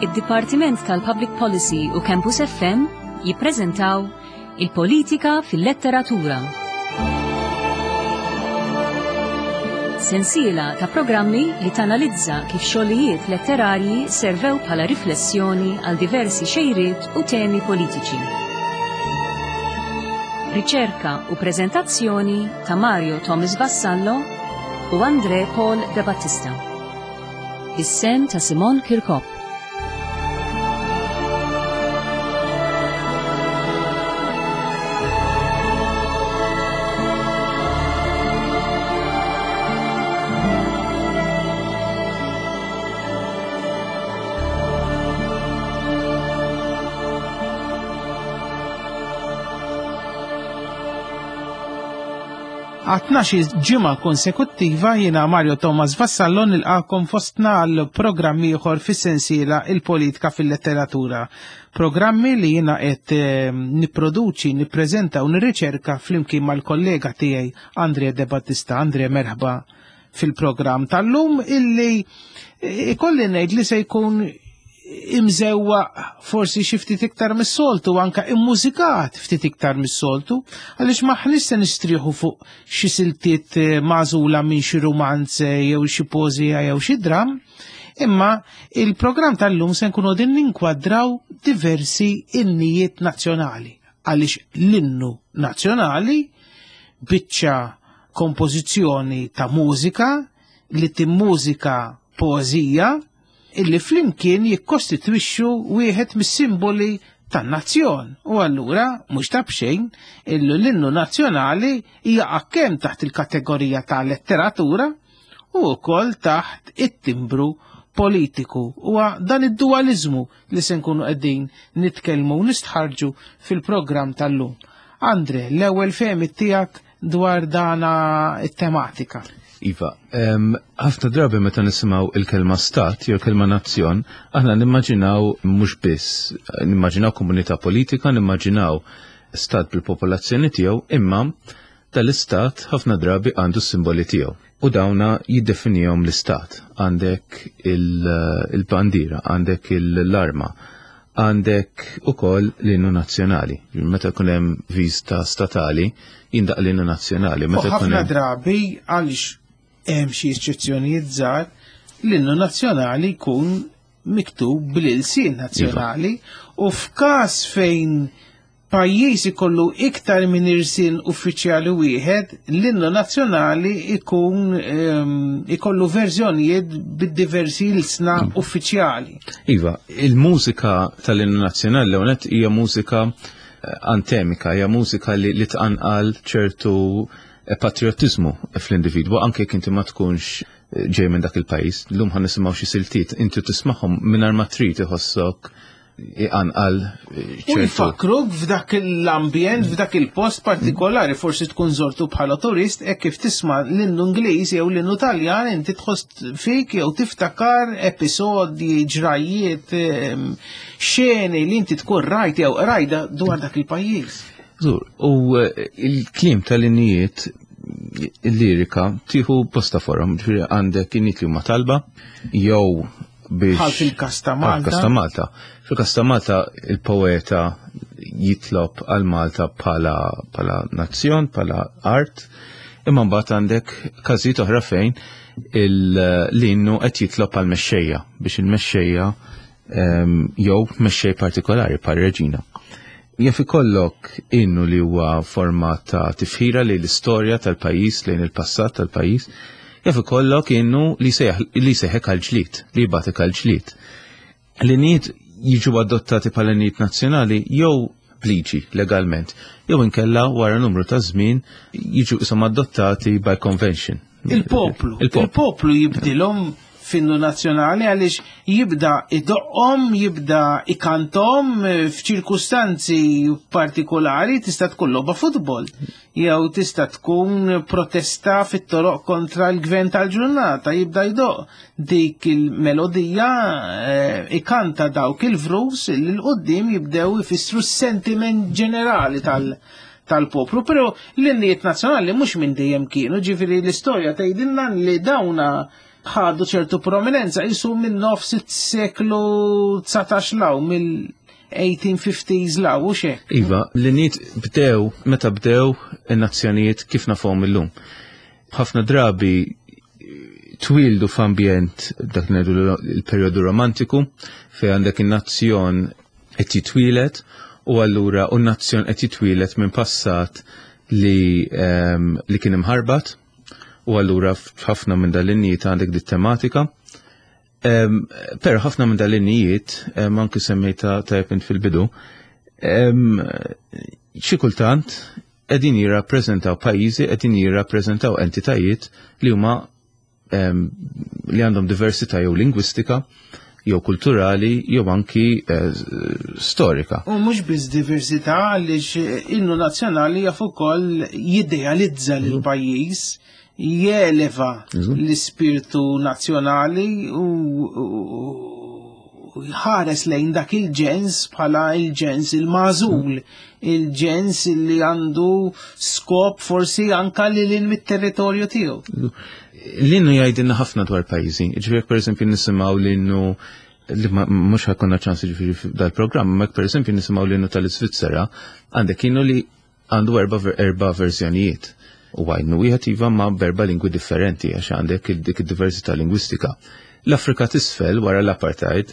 Id-Dipartiment tal-Public Policy u Campus FM jippreżentaw Il-Politika fil-Letteratura. Sensiela ta' programmi li tanalizza kif xogħlijiet letterarji servew bħala riflessjoni għal diversi xejriet u temi politiċi. Riċerka u preżentazzjoni ta' Mario Thomas Vassallo u Andre Paul De Battista. Is-sem ta' Simon Kirkop. Għat-tnax-il ġimgħa konsekuttiva jiena Mario Thomas Vassallo nilqakom fostna għal programm ieħor fis-sensiela Il-Politika fil-Letteratura. Programmi li jiena qed eh, nipproduċi, nippreżenta u nirriċerka flimkien mal-kollega tiegħi Andre De Battista. Andre merħba fil-programm tal-lum illi eh, ikolli ngħid li se jkun imżewwa forsi xi ftit iktar mis-soltu anka immużikat ftit iktar mis-soltu għaliex maħniex se nistrieħu fuq xi siltiet eh, magħżula minn xi rumanz eh, jew xi poeżija jew xi dram, imma il-programm tal-lum se nkunu din ninkwadraw diversi innijiet nazzjonali għaliex l-innu nazzjonali biċċa kompożizzjoni ta' mużika li timmużika poeżija illi flimkien jikkostitwixxu wieħed mis-simboli tan-nazzjon. U allura mhux ta' b'xejn illu l-innu nazzjonali jaqa' kemm taħt il-kategorija ta' letteratura u wkoll taħt it-timbru politiku. Huwa dan id-dualizmu li se nkunu qegħdin nitkellmu u nistħarġu fil-programm tal-lum. Andre, l-ewwel fehmiet tiegħek dwar dana it-tematika. Iva, ħafna drabi meta nisimgħu il-kelma stat jew kelma nazzjon, aħna nimmaġinaw mhux biss, nimmaġinaw komunità politika, nimmaġinaw stat bil-popolazzjoni tiegħu, imma dal-istat ħafna drabi għandu s-simboli tiegħu. U dawna jiddefinihom l-istat. Għandek il-bandiera, għandek l-arma, Għandek ukoll l-innu nazzjonali. Meta jkun hemm viżta statali, jindaq l-innu nazzjonali. Meta ħafna drabi għaliex hemm xi eċċezzjonijiet żgħar, l-innu nazzjonali jkun miktub bl-ilsien nazzjonali iva. u f'każ fejn pajjiż ikollu iktar minn irsin uffiċjali wieħed, l-innu nazzjonali ikun ehm, ikollu verżjonijiet bid-diversi ilsna mm. uffiċjali. Iva, il-mużika tal-innu nazzjonali l-ewwel hija mużika eh, antemika, hija mużika li, li tqanqal ċertu eh, patriotizmu fl-individwu, anke jekk inti ma tkunx eh, ġej minn dak il-pajjiż. Llum ħan nisimgħu xi siltiet, inti tismagħhom mingħajr ma trid iħossok iqanqal U jfakruk f'dak l-ambjent, f'dak il-post partikolari, forsi tkun żortu bħala turist, hekk kif tisma' l-innu Ingliż jew l-innu Taljan inti tħoss fik jew tiftakar episodji, ġrajiet, ehm, xeni li inti tkun rajt jew qrajda dwar dak il-pajjiż. Zur, u eh, il-klim tal-innijiet il-lirika tieħu bosta forom, ġifieri għandek innijiet li huma talba jew biex. Bħal fil-kas ta' Malta. Fil-kas ta' Malta. Fil-kas ta' Malta il-poeta jitlob għal Malta bħala bħala nazzjon, bħala art, imma mbagħad għandek każijiet oħra fejn l-innu qed jitlob għal mexxejja biex il-mexxejja ehm, jew mexxej partikolari bħal reġina. Jaf ikollok innu li huwa forma ta' tifħira lejn l-istorja tal-pajjiż, lejn il-passat tal-pajjiż, jaf ikollok innu li jsejħek għall-ġlied, li jibgħatek għall-ġlied. L-innijiet jiġu adottati bħala innijiet nazzjonali jew b'liġi legalment, jew inkella wara numru ta' żmien jiġu isom adottati by convention. Il-poplu. Il-poplu jibdilhom f'innu nazzjonali għaliex jibda idoqqhom, jibda ikantom eh, f'ċirkustanzi partikolari tista' tkun logħba futbol jew tista' tkun protesta fit-toroq kontra l-gvern tal-ġurnata jibda jdoq dik il-melodija eh, ikanta dawk il-vrus li l-qoddim jibdew ifissru s-sentiment ġenerali tal- tal-poplu, pero l-innijiet nazzjonali mhux minn dejjem kienu, ġifieri l-istorja tgħidilna li dawna ħadu ċertu prominenza jisu minn nofs is-seklu 19 law mill-1850s law u xek. Iva, l-innijiet bdew meta bdew in-nazzjonijiet kif nafhom illum. Ħafna drabi twildu f'ambjent dak ngħidu l-perjodu romantiku fejn għandek in-nazzjon qed jitwieled u allura u n-nazzjon qed jitwieled minn passat li li kien imħarbat u allura f'ħafna minn dal-innijiet għandek dit tematika. Però ħafna minn dal-innijiet, anki semmejta tajjeb int fil-bidu, xi kultant qegħdin jirrappreżentaw pajjiżi, qegħdin jirrappreżentaw entitajiet li huma li għandhom diversità jew lingwistika, jew kulturali, jew anki storika. U mhux biss diversità, għaliex innu nazzjonali jaf ukoll jidealizza lil pajjiż, jeleva l-ispirtu nazzjonali u ħares lejn dak il-ġens bħala il-ġens il-magħżul, il-ġens li għandu skop forsi anka li lil mit-territorju tiegħu. L-innu jgħidilna ħafna dwar pajjiżi. Ġifieri pereżempju nisimgħu l-innu li mhux ħakonna ċans ġifieri dal-programm, ma pereżempju nisimgħu l-innu tal-Iżvizzera, għandek innu li għandu erba' verżjonijiet. U għajnu wieħed iva ma' berba lingwi differenti għax għandek dik id-diversità lingwistika. L-Afrika t'isfel wara l-apartheid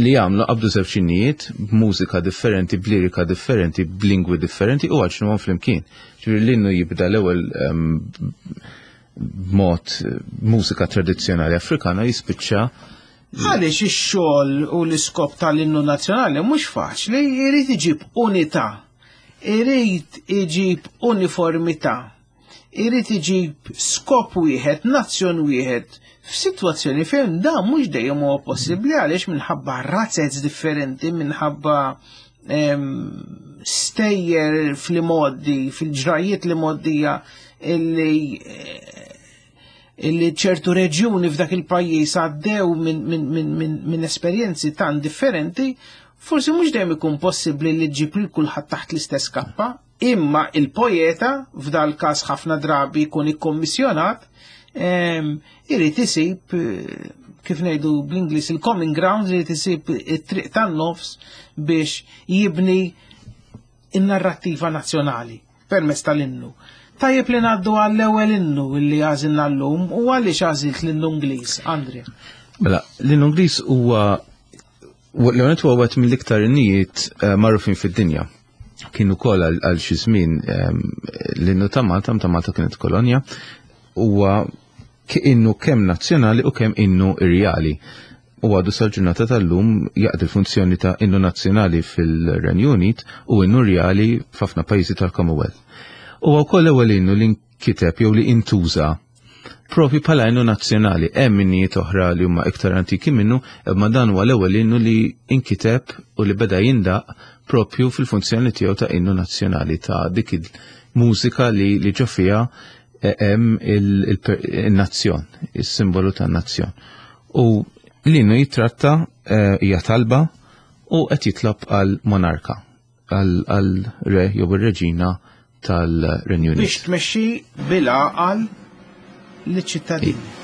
li għamlu qabdu żewġ innijiet b'mużika differenti, b'lirika differenti, b'lingwi differenti u għaġnuhom flimkien. Ġifieri l-innu jibda l-ewwel b'mod mużika tradizzjonali Afrikana jispiċċa. Għaliex ix-xogħol u l-iskop tal-innu nazzjonali mhux faċli, jrid iġib unità, irid iġib uniformità, irid iġib skop wieħed, nazzjon wieħed, f'sitwazzjoni fejn dan mhux dejjem huwa possibbli għaliex minħabba razzez differenti, minħabba stejjer fl-modi, fil-ġrajiet li moddija illi ċertu reġjuni f'dak il-pajjiż għaddew minn esperjenzi tan differenti, forsi mhux dejjem ikun possibbli li ġġib lil kulħadd taħt l-istess kappa, imma il-poeta f'dal każ ħafna drabi jkun ikkommissjonat, irid isib, kif ngħidu bl-Ingliż, il-common ground, irid isib it-triq tan-nofs biex jibni in-narrattiva nazzjonali permezz tal-innu. Tajjeb li ngħaddu għall-ewwel innu li għażilna llum u għaliex għażilt l-innu Ingliż, Andrea? Mela, l-innu Ingliż huwa l-għonet huwa wieħed mill-iktar innijiet magħrufin fid-dinja. Kien ukoll għal xi żmien l-innu ta' Malta, ta' Malta kienet kolonja, huwa innu kemm nazzjonali u kemm innu irjali. U għadu sal-ġurnata tal-lum jaqdi l-funzjoni ta' innu nazzjonali fil-Renju Unit u innu rjali f'ħafna pajjiżi tal-Commonwealth. U wkoll ewwel innu li nkiteb jew li intuża propju bħala innu nazzjonali. Hemm innijiet oħra li huma iktar antiki minnu, imma dan huwa l-ewwel innu li nkiteb u li beda jindaq propju fil-funzjoni tiegħu ta' innu nazzjonali, ta' dik il-mużika li ġo fiha hemm il-nazzjon, is-simbolu tan-nazzjon. U l-innu jitratta hija talba u qed jitlob għal monarka, għal re jew ir-reġina tal-Renju Unit. Biex tmexxi bil-għaqal liċ-ċittadini.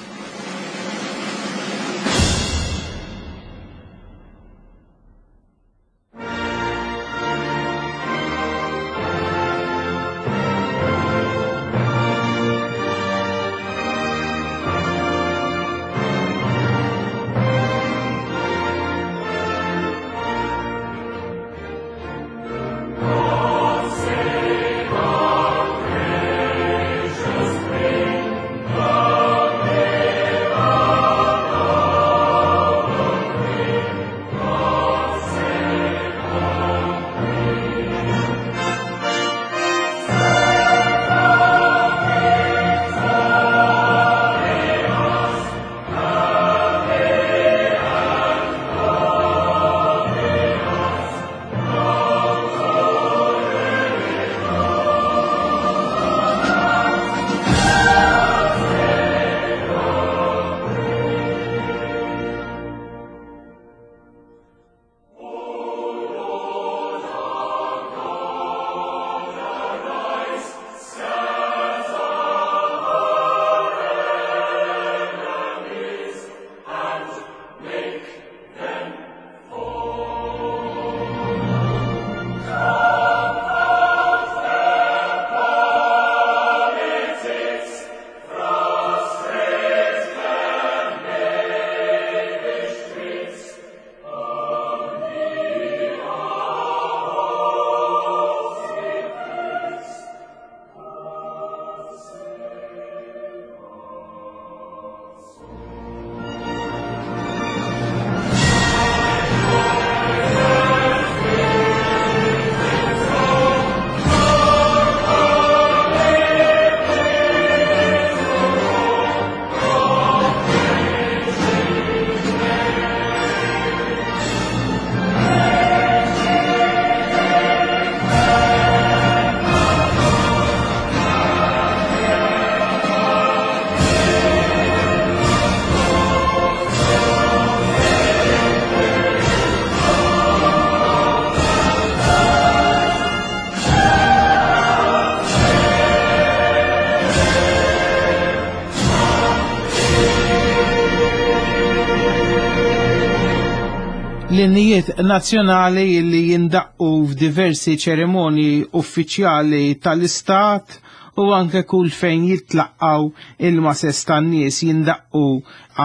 L-innijiet nazzjonali li jindaqqu f'diversi ċerimonji uffiċjali tal-istat u anke kull fejn jitlaqqaw il-mases tan-nies jindaqqu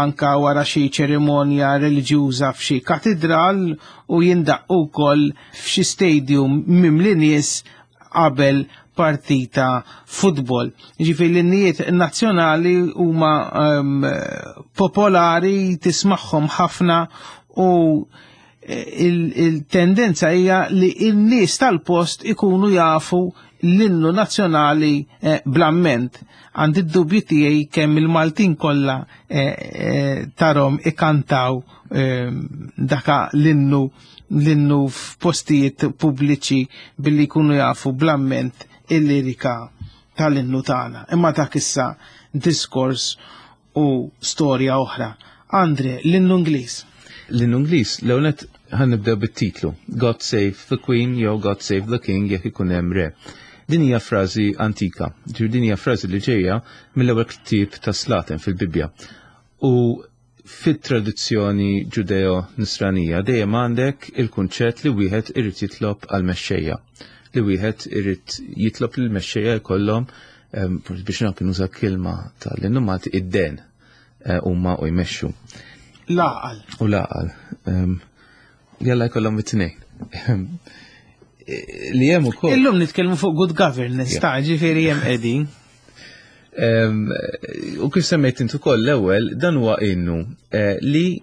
anka wara xi ċerimonja reliġjuża f'xi katidral u jindaqqu wkoll f'xi stadium mimli nies qabel partita futbol. Ġifieri l-innijiet nazzjonali huma um, popolari tismagħhom ħafna u eh, il-tendenza hija li n-nies tal-post ikunu jafu l-innu nazzjonali eh, blamment. Għandi d-dubju tiegħi kemm il-Maltin kollha eh, tarom ikantaw daka l-innu l-innu f'postijiet pubbliċi billi jkunu jafu blamment il-lirika tal-innu tagħna. Imma dak issa diskors u storja oħra. Andre, l-innu Ingliż. L-innu Ingliż, l-ewwel ħan nibdew bit-titlu God Save the Queen jew God Save the King jekk ikun hemm re. Din hija frażi antika, ġifieri din hija frażi li ġejja mill-ewwel ktieb ta' Slaten fil-Bibbja. U fit-tradizzjoni Ġudeo-Nisranija dejjem għandek il-kunċett li wieħed irid jitlob għal mexxejja, li wieħed irid jitlob li l-mexxejja jkollhom biex anke nuża kelma tal-innu Malti id-den eh, huma u jmexxu. L-għaqal. U l-għaqal. Jalla jkollhom it-tnejn. Li hemm ukoll. Illum nitkellmu fuq good governance, ta' ġifieri hemm qegħdin. U kif semmejt intu koll l-ewwel, dan huwa innu eh, li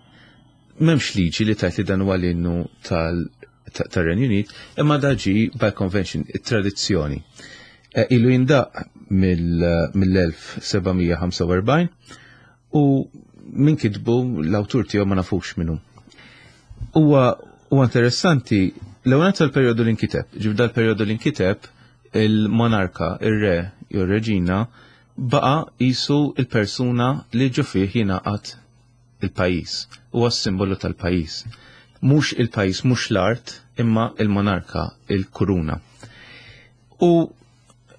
m'hemmx liġi li tajt li dan huwa l-innu tal-Renju Unit, imma daġi by convention, it-tradizzjoni. Eh, ilu jindaq mill-1745 u min kitbu l-awtur tiegħu ma nafux minnu. Huwa huwa interessanti l-ewwel tal-perjodu li nkiteb, ġib dal-perjodu li nkiteb il-monarka, ir-re jew reġina baqa jisu il-persuna li ġo fih jingħaqad il-pajjiż. Huwa s-simbolu tal-pajjiż. Mhux il-pajjiż, mhux l-art, imma il-monarka, il-kuruna. U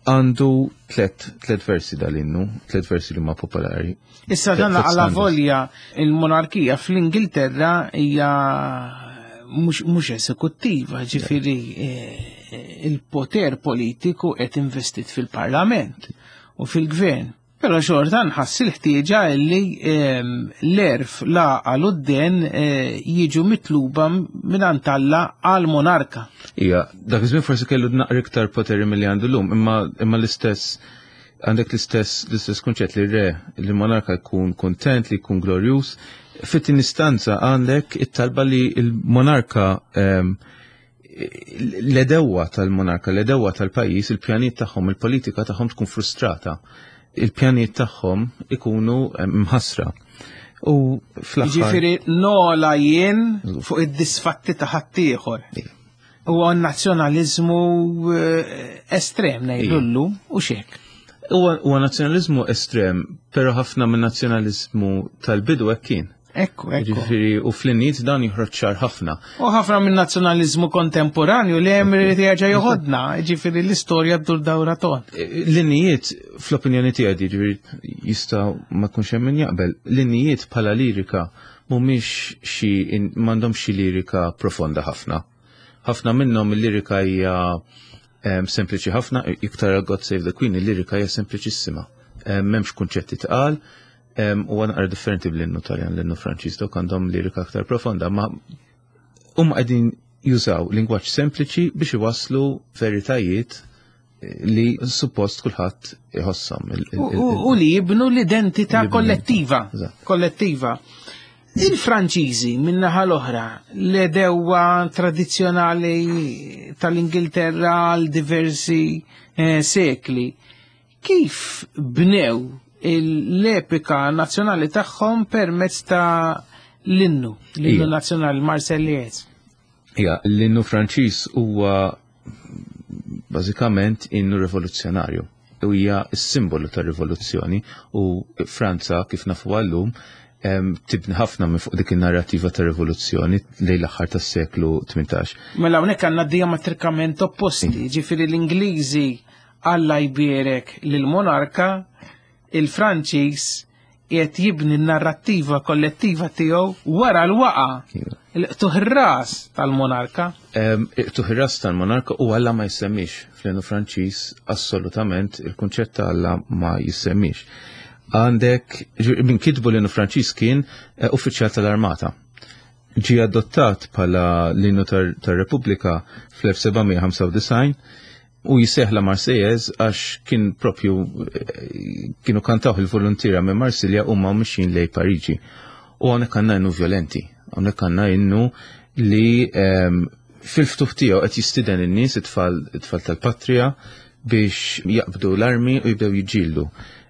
għandu tlet, tlet versi dal-innu, tlet versi li huma popolari. Issa dan għala volja il-monarkija fl-Ingilterra hija mhux esekuttiva, ġifieri eh, il-poter politiku qed investit fil-parlament u fil-gvern. Però xorta nħass il-ħtieġa li ehm, l-erf l-għaqal u d-den eh, jiġu mitluba minn Alla għal monarka. Ija, dak iż-żmien forsi kellu naqra iktar poteri milli għandu llum, imma imma l-istess għandek l-istess l-istess kunċett li re li monarka jkun kontent, li jkun glorjuż. Fit-tieni istanza għandek it-talba li l-monarka ehm, l-edewa tal-monarka, l-edewa tal-pajjiż, il-pjanijiet tagħhom, il-politika tagħhom tkun frustrata. Il-pjanijiet tagħhom ikunu eh, mħassra. U fl-aħħar. Ġifieri nola jien fuq id-disfatti ta' ħaddieħor. Huwa nazzjonaliżmu eh, estrem ngħidu llum u xek. Huwa nazzjonaliżmu estrem, però ħafna minn nazzjonaliżmu tal-bidu hekk kien. Ekku, ekku. Ġifieri u fl-inniet dan joħroġ ċar ħafna. U ħafna minn nazzjonaliżmu kontemporanju li hemm irid jerġa' joħodna, ġifieri l-istorja ddur dawra ton. E, l-innijiet fl-opinjoni tiegħi ġifieri jista' ma jkunx hemm min jaqbel, l-innijiet bħala lirika mhumiex xi m'għandhomx xi lirika profonda ħafna. Ħafna minnhom il-lirika hija sempliċi ħafna, iktar God Save the Queen, il-lirika hija sempliċissima. M'hemmx kunċetti tqal, U għan għar differenti bl-innu taljan, l-innu franċiż, dawk għandhom lirika aktar profonda, ma huma qegħdin jużaw lingwaġġ sempliċi biex iwasslu veritajiet eh, li suppost kulħadd iħosshom. U li jibnu l-identità kollettiva. Kollettiva. Il-Franċiżi min-naħa l-oħra, l-edewwa tradizzjonali tal-Ingilterra għal diversi eh, sekli, Kif bnew l-epika nazzjonali tagħhom permezz ta' l-innu, l-innu nazzjonali Marsellies? Ja, l-innu Franċiż huwa bażikament innu rivoluzzjonarju. U hija s-simbolu tar-rivoluzzjoni u Franza kif nafu għallum tibni ħafna minn fuq dik in-narrativa ta' rivoluzzjoni lejn l-aħħar tas-seklu 18. Mela hawnhekk għandna diametrikament opposti, ġifieri l-Ingliżi Alla jbierek lill-monarka, il-Franċiż qiegħed jibni n-narrattiva kollettiva tiegħu wara l-waqa Iva. il-qtuħ ras tal-monarka. Iqtuħ ir-ras tal-monarka u Alla ma jissemmix fl-innu Franċiż assolutament il-kunċett ta' Alla ma jissemmix. Għandek, min kitbu l-innu Franċiż kien uffiċjal tal-armata. Ġie adottat bħala l-innu tar-Repubblika fl-1795 u jisejjaħ La Marseillaise għax kien propju kienu kantaw il-volontiera minn Marsilja u ma mixjin lejn Pariġi. U hawnhekk għandna innu violenti, hawnhekk għandna innu li fil-ftuħ tiegħu qed jistieden in-nies it-tfal it-tfal tal-patrija biex jaqbdu l-armi u jibdew jiġġieldu.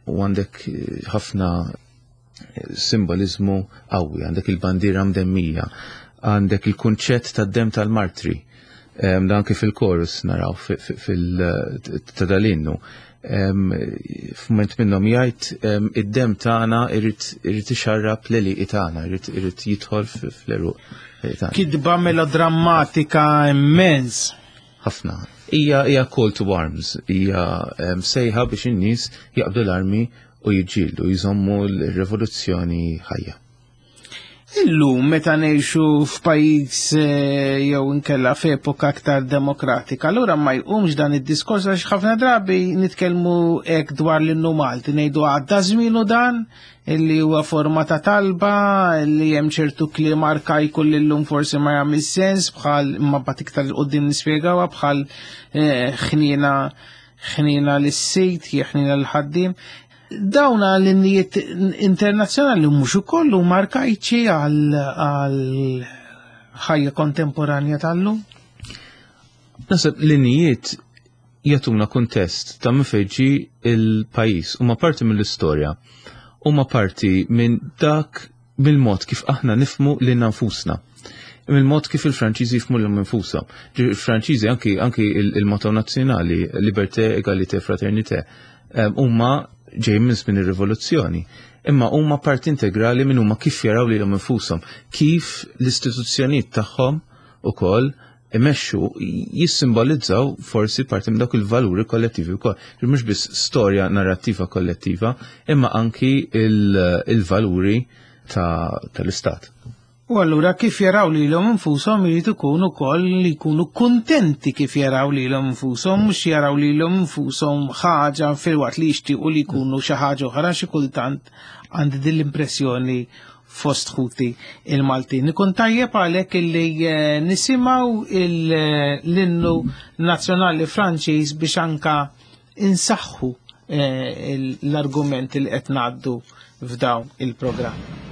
U għandek ħafna simbolizmu qawwi, għandek il-bandiera mdemmija, għandek il-kunċett tad-dem tal-martri. Dan kif il-chorus naraw ta' dal-innu. F'mument minnhom jgħid id-dem tagħna irid ixarrab l-għelieqi tagħna, irid jidħol fl-għeruq tagħna. Kitba melodrammatika immens. Ħafna. Hija call to arms, hija sejħa biex in-nies jaqbdu l-armi u jiġġieldu, jżommu l-rivoluzzjoni ħajja. Illum meta ngħixu f'pajjiż jew inkella f'epoka aktar demokratika, allura ma jqumx dan id-diskors għax ħafna drabi nitkellmu hekk dwar l-innu Malti, ngħidu għadda żmienu dan illi huwa forma ta' talba, illi hemm ċertu kliem arkajku li llum forsi ma jagħmel sens bħal ma mbagħad iktar 'il quddiem nispjegawha bħal ħniena ħniena lis-sid, ħniena l-ħaddiem. Dawna l-innijiet internazzjonali mhux ukoll huma arkajċi għal ħajja kontemporanja tal-lum? Naħseb l-innijiet jagħtuna kuntest ta' minn fejn ġie il-pajjiż, huma parti mill-istorja, huma parti minn dak mill-mod kif aħna nifhmu lilna nfusna. Mill-mod kif il-Franċiżi jifhmu lilhom infushom. Il-Franċiżi anki il-motto nazzjonali, liberté, égalité, fraternité, huma ġej minn żmien ir-rivoluzzjoni. Imma huma parti integrali minn huma kif jaraw lilhom infushom, kif l-istituzzjonijiet tagħhom ukoll imexxu jissimbolizzaw forsi parti minn dawk il-valuri kollettivi wkoll. Mhux biss storja narrattiva kollettiva, imma anki il-valuri tal-istat. U allura kif jaraw lilhom infushom irid ikun ukoll li jkunu kuntenti kif jaraw lilhom infushom, mhux jaraw lilhom infushom ħaġa filwaqt li jixtiequ li jkunu xi ħaġa oħra. Xi kultant għandi din l-impressjoni fost ħuti il-Maltin. Ikun tajjeb għalhekk illi nisimgħu l-innu nazzjonali Franċiż biex anka insaħħu l-argument li qed ngħaddu f'dawn il-programm.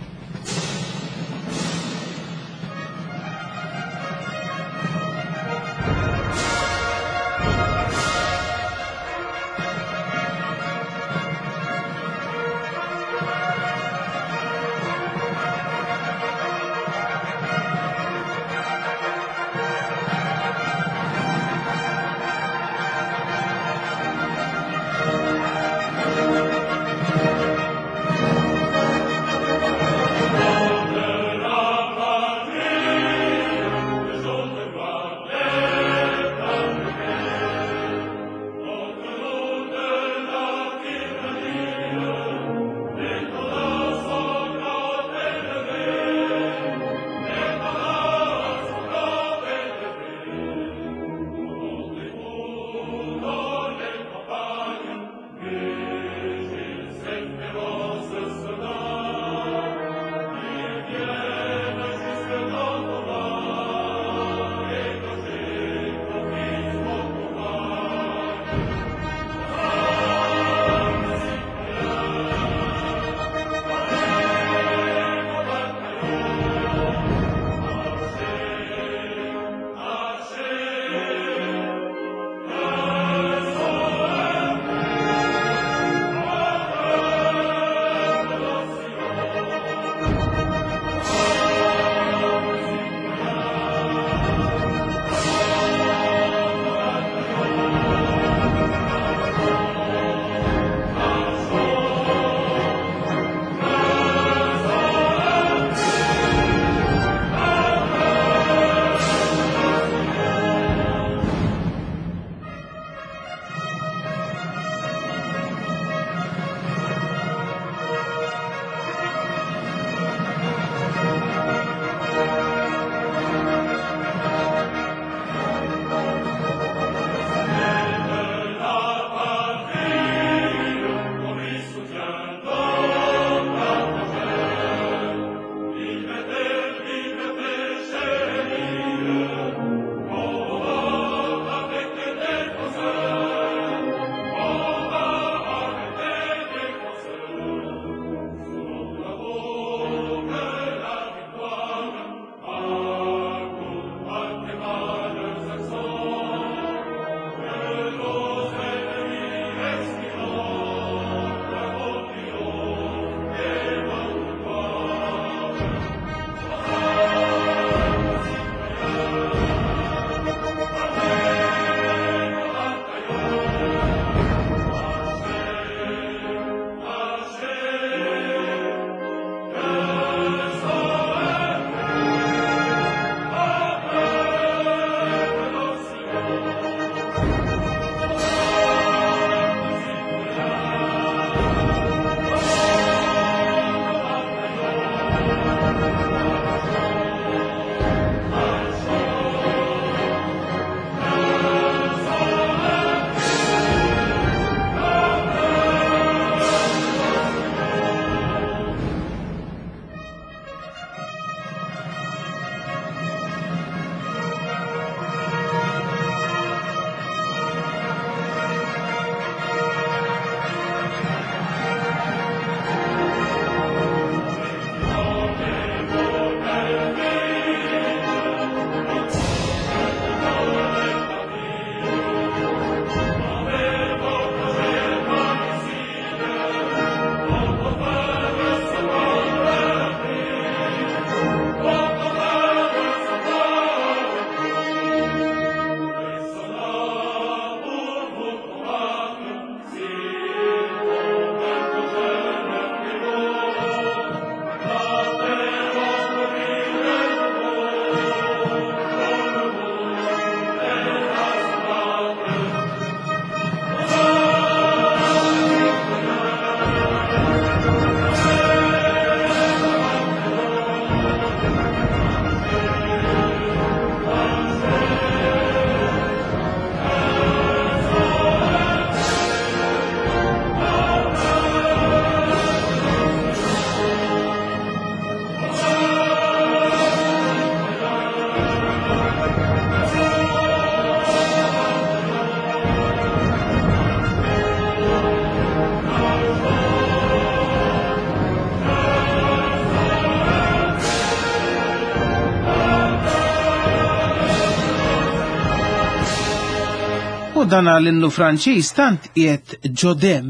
U dan l-innu Franċiż tant qiegħed ġodem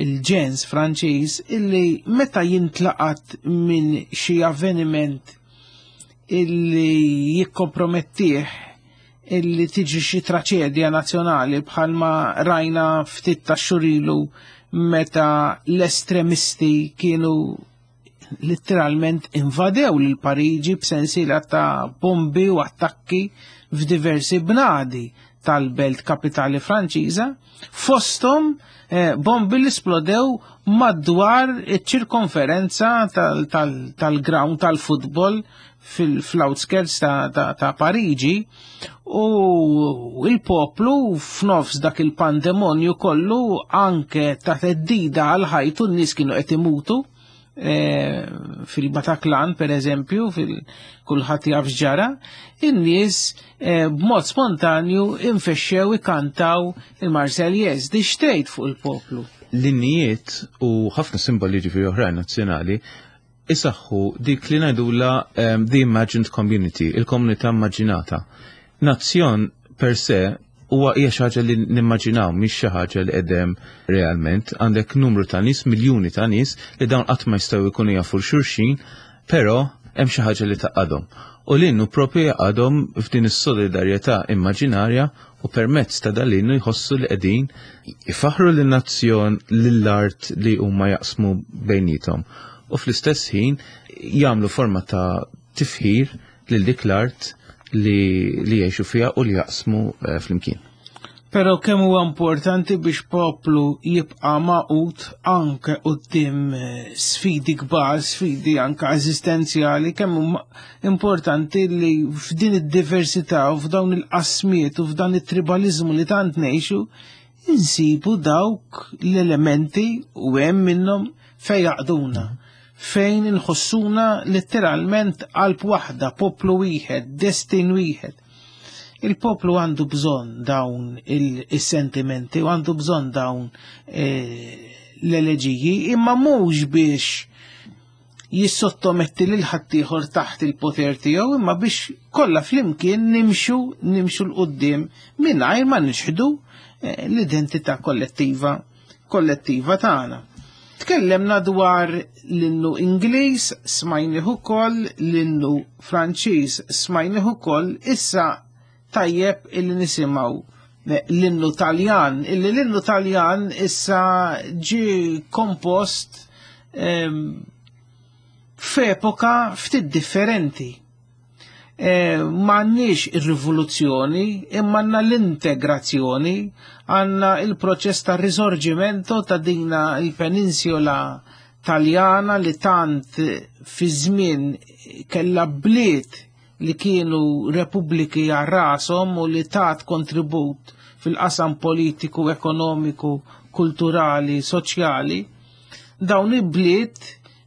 il-ġens Franċiż illi meta jintlaqat minn xi avveniment illi jikkompromettih, illi tiġi xi traċedja nazzjonali bħalma rajna ftit ta' xurilu meta l-estremisti kienu letteralment invadew lil Pariġi b'sensiela ta' bombi u attakki f'diversi bnadi tal-belt kapitali Franċiża, fosthom bombi li splodew madwar iċ-ċirkonferenza tal-ground tal-futbol fl-outskirts ta' Pariġi, u il-poplu f'nofs dak il-pandemonju kollu anke ta' theddida għal ħajtu, n-nies kienu qed imutu fil-Bataclan per eżempju, fil-kulħadd jaf x'ġara, in-nies b'mod spontanju infexxew ikantaw il-Marseillaise. Di xtejt fuq il-poplu. L-innijiet u ħafna simboli ġifieri oħrajn nazzjonali isaħħu dik li ngħidula the imagined community, il-komunità immaġinata. Nazzjon per se huwa hija xi ħaġa li nimmaġinaw, mhix xi ħaġa li qedem realment. Għandek numru ta' nies, miljuni ta' nies li dawn qatt ma jistgħu jkunu jafu xulxin, però hemm xi ħaġa li taqadhom. U l-innu propju jaqadhom f'din is-solidarjetà immaġinarja, u permezz ta' dal-innu jħossu li qegħdin ifaħru lin-nazzjon, lill-art li huma jaqsmu bejnietom. U fl-istess ħin jagħmlu forma ta' tifħir lil dik l-art li jgħixu fiha u li jaqsmu flimkien. Però kemm huwa importanti biex poplu jibqa' magħqud anke quddiem sfidi kbar, sfidi anke eżistenzjali, kemm huma importanti li f'din id-diversità u f'dawn il-qasmiet u f'dan it-tribalizmu li tant ngħixu, insibu dawk l-elementi u hemm minnhom fejn jaqduna, fejn inħossuna letteralment qalb waħda, poplu wieħed, destin wieħed. Il-poplu għandu bżonn dawn il-sentimenti u għandu bżonn dawn l-eleġiji, imma mhux biex jissottometti lil ħaddieħor taħt il-poter tiegħu, imma biex kollha flimkien nimxu 'l quddiem mingħajr ma nixħdu l-identità kollettiva tagħna. Tkellemna dwar l-innu Ingliż, smajnih ukoll, l-innu Franċiż smajnih ukoll, issa tajjeb illi nisimgħu l-innu Taljan, illi l-innu Taljan issa ġie kompost f'epoka ftit differenti. M'għandniex ir-rivoluzzjoni, imma għandna l-integrazzjoni, għandna il-proċess ta' risorgimento ta' dina il-peninsula Taljana li tant fi żmien kellha bliet li kienu repubbliki għal rashom u li tat kontribut fil-qasam politiku, ekonomiku, kulturali, soċjali. Dawn il-bliet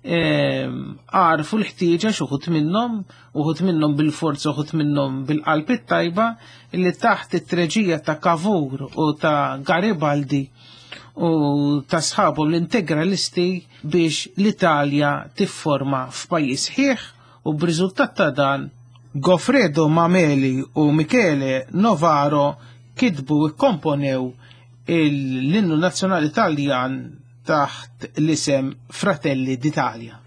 għarfu l-ħtieġa xi wħud minnhom, uħud minnhom bil-forza, uħud minnhom bil-qalb it-tajba, li taħt it-treġija ta' Cavour u ta' Garibaldi u ta' sħabhom l-integralisti biex l-Italja tifforma f'pajjiż ħieħ, u b'riżultat ta' dan Goffredo Mameli u Michele Novaro kitbu u kkomponew l-innu nazzjonali Taljan taħt l-isem Fratelli d'Italia.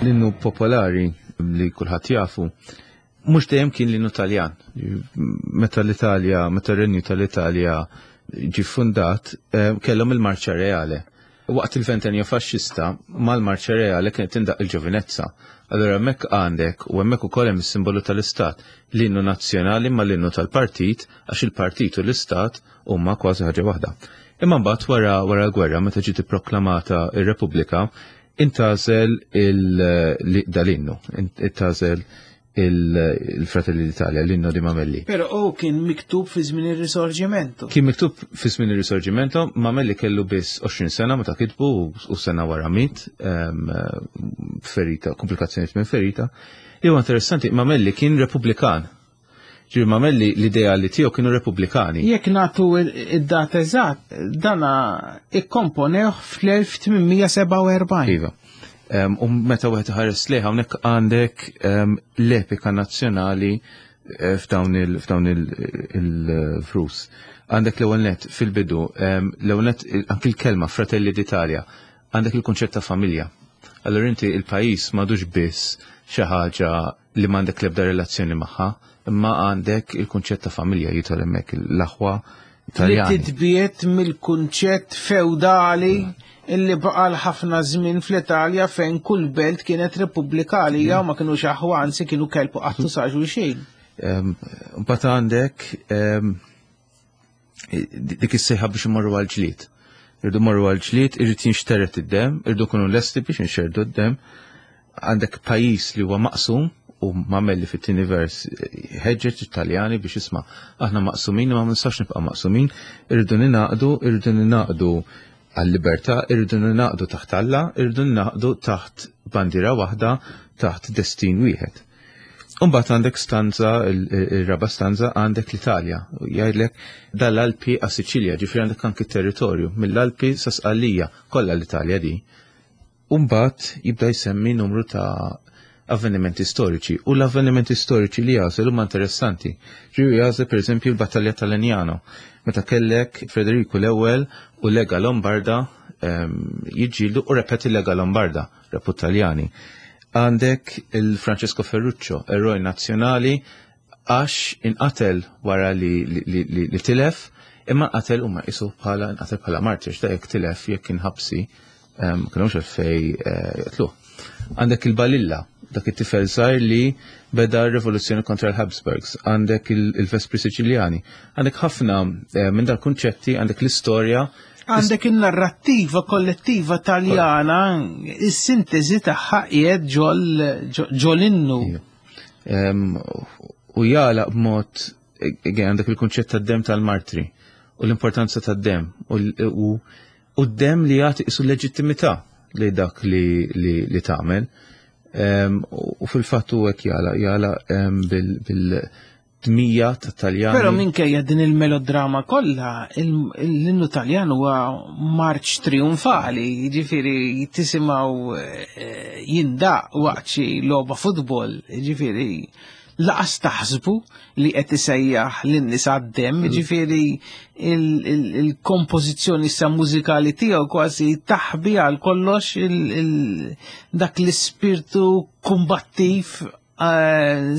L-innu popolari li kulħadd jafu mhux dejjem kien l-innu Taljan. Meta l-Italja, meta r-Renju tal-Italja ġie fundat, eh, kellhom il-Marċa Reale. Waqt il-ventennio faxxista, mal-Marċa Reale kienet tindaq il-ġovinezza. Allura hemmhekk għandek u hemmhekk ukoll hemm is-simbolu tal-Istat, l-innu nazzjonali ma l-innu tal-partit għax il-partit u l-Istat huma kważi ħaġa waħda. Imma mbagħad wara wara l-gwerra meta ġiet ipproklamata ir-Repubblika, intgħażel dal-innu, intgħażel il-Fratelli d'Italia, l-inno di Mamelli. Pero u kien miktub fi żmien ir-Risorgimento. Kien miktub fi żmien ir-Risorgimento, Mamelli kellu biss 20 sena meta kitbu u sena wara mit, ferita, komplikazzjonijiet minn ferita. Li huwa interessanti, Mamelli kien Repubblikan. Ġifieri Mamelli l-ideali tiegħu kienu Repubblikani. Jekk nagħtu id-data eżatt, dana ikkomponewh fl-1847. Iva. U meta wieħed iħares lejh hawnhekk għandek l-epika nazzjonali eh, f'dawn il-frus. Għandek l-ewwel net fil-bidu, l-ewwel net anki l-kelma Fratelli d'Italia, għandek il-kunċett ta' familja. Allura inti il-pajjiż m'għadux biss xi ħaġa li m'għandek l-ebda relazzjoni magħha, imma għandek il-kunċett ta' familja jidħol hemmhekk l-aħwa Taljani. Li titbiet mill-kunċett feudali illi baqa l-ħafna żmien fl-Italja fejn kull belt kienet repubblika għalija u ma kinux aħwa anzi kienu kelb u qattu sa xulxin. Mbagħad għandek dik is-sejħa biex imorru għal-ġlied. Irdu morru għal-ġlied, irrid jinxteret id-dem, irdu kunu lesti biex nxerdu d-dem. Għandek pajjiż li huwa maqsum u mamelli fit-tieni vers ħeġġeġ Italjani biex isma' aħna maqsumin imma ma nistax nibqa' maqsumin, irridu ninaqdu, irridu ninaqdu għal-libertà, irridu ninaqdu taħt Alla, irridu ninaqdu taħt bandiera waħda, taħt destin wieħed. Umbagħad għandek stanza, il-raba stanza għandek l-Italja. Jgħidlek dal-Alpi għas Siċilja, ġifieri għandek anki territorju, mill-Alpi sa Sqallija, kollha l-Italja di. Umbagħad jibda jsemmi numru ta' avvenimenti storiċi u l-avvenimenti storiċi li jagħżel huma interessanti. Ġifieri jagħżel pereżempju l-Battalja tal-Legnano, meta kellek Federiku l-ewwel u Lega Lombarda ehm, jiġġieldu u repeti Lega Lombarda, repu Taljani. Għandek il-Francesco Ferruccio, eroj nazzjonali, għax inqatel wara li, li, li, li, li tilef, imma nqatel huma qisu bħala nqatel bħala martir, ta' jekk tilef jekk kien ħabsi, ehm, kienux għalfej eh, joqtluh. Għandek il-Balilla, dak it-tifel żgħir li beda r-rivoluzzjoni kontra l-Habsburgs, għandek il-Vespri Siċiljani, għandek ħafna eh, minn dal-kunċetti, għandek l-istorja Għandek il-narrattiva kollettiva taljana, is-sintesi tagħha qiegħed ġol innu. U jala b'mod għandek il-kunċett tad-dem tal-martri u l-importanza tad-dem u d-dem li jagħti isu leġittimità li dak li tagħmel. U fil-fatt u hekk jala jala bil Tmija ta' Taljani. Però minkejja din il-melodrama kollha, l-innu Taljan huwa marċ trionfali, jiġifieri tisimgħu eh, jindaq waqt xi logħba futbol, jiġifieri laqas taħsbu li qed isejjaħ lin-nies għad-demm, mm. jiġifieri il-kompożizzjoni sa mużikali tiegħu kważi taħbi għal kollox dak l-ispirtu kumbattiv eh,